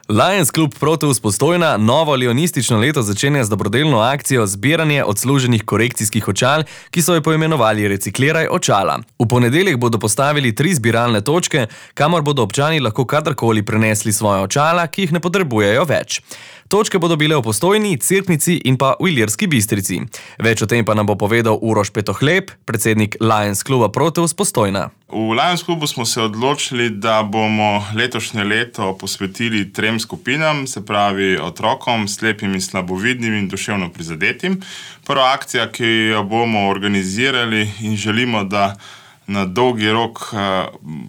Lions Club Proteus Postojna novo leonistično leto začenja z dobrodelno akcijo zbiranje odsluženih korekcijskih očal, ki so jo poimenovali Recikliraj očala. V ponedeljek bodo postavili 3 zbiralne točke, kamor bodo občani lahko kadarkoli prenesli svoje očala, ki jih ne potrebujejo več. Točke bodo bile v Postojni, Cerknici in pa v Ilirski Bistrici. Več o tem pa nam bo povedal Uroš Petohleb, predsednik Lions Cluba Proteus Postojna. V Lions Clubu smo se odločili, da bomo letošnje leto posvetili 3 skupinam, se pravi otrokom, slepim in slabovidnim in duševno prizadetim. Prva akcija, ki jo bomo organizirali in želimo, da na dolgi rok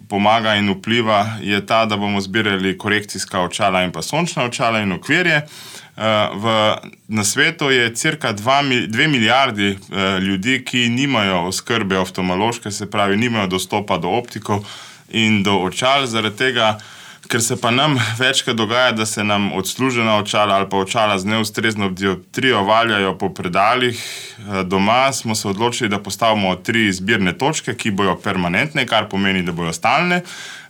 pomaga in vpliva, je ta, da bomo zbirali korekcijska očala in pa sončna očala in okvirje. Na svetu je cirka 2 milijardi ljudi, ki nimajo oskrbe oftalmološke, se pravi, nimajo dostopa do optikov in do očal, zaradi tega, ker se pa nam večkrat dogaja, da se nam odslužena očala ali pa očala z neustrezno dioptrijo valjajo po predalih doma, smo se odločili, da postavimo 3 zbirne točke, ki bojo permanentne, kar pomeni, da bojo stalne.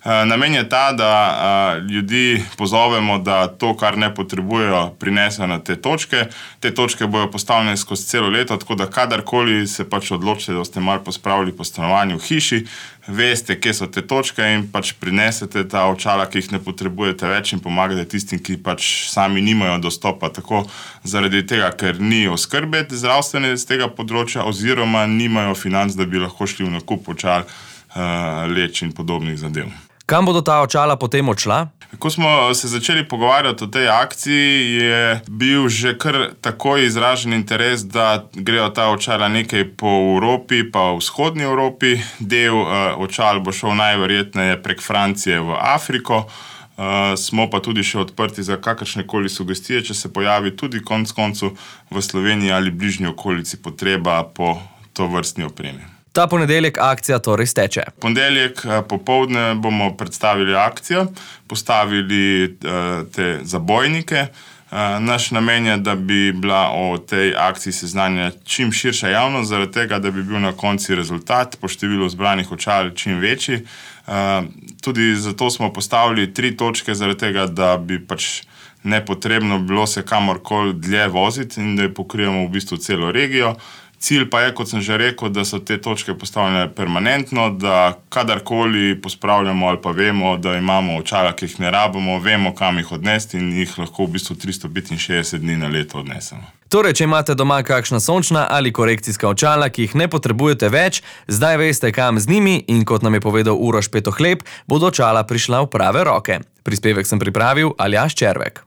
Namen je ta, da ljudi pozovemo, da to, kar ne potrebujejo, prinesejo na te točke. Te točke bojo postavljene skozi celo leto, tako da kadarkoli se pač odločite, da ste malo pospravili po stanovanju v hiši, veste, kje so te točke in pač prinesete ta očala, ki jih ne potrebujete več in pomagate tistim, ki pač sami nimajo dostopa. Tako zaradi tega, ker ni oskrbe zdravstvene z tega področja oziroma nimajo financ, da bi lahko šli v nakup očal, leč in podobnih zadev. Kam bodo ta očala potem odšla? Ko smo se začeli pogovarjati o tej akciji, je bil že kar takoj izražen interes, da grejo ta očala nekaj po Evropi, pa v vzhodni Evropi. Del očal bo šel najverjetneje prek Francije v Afriko. Smo pa tudi še odprti za kakršnekoli sugestije, če se pojavi tudi konec koncu v Sloveniji ali bližnji okolici potreba po tovrstni opremi. Ta ponedeljek akcija torej steče. Ponedeljek popoldne bomo predstavili akcijo, postavili te zabojnike. Naš namen je, da bi bila o tej akciji seznanjena čim širša javnost, zaradi tega, da bi bil na koncu rezultat po številu zbranih očal čim večji. Tudi zato smo postavili 3 točke, zaradi tega, da bi pač nepotrebno bilo se kamorkoli dlje voziti in da pokrijemo v bistvu celo regijo. Cilj pa je, kot sem že rekel, da so te točke postavljene permanentno, da kadarkoli pospravljamo ali pa vemo, da imamo očala, ki jih ne rabimo, vemo, kam jih odnesti in jih lahko v bistvu 365 dni na leto odnesemo. Torej, če imate doma kakšna sončna ali korekcijska očala, ki jih ne potrebujete več, zdaj veste, kam z njimi in kot nam je povedal Uroš Petohleb, bodo očala prišla v prave roke. Prispevek sem pripravil Aljaž Červek.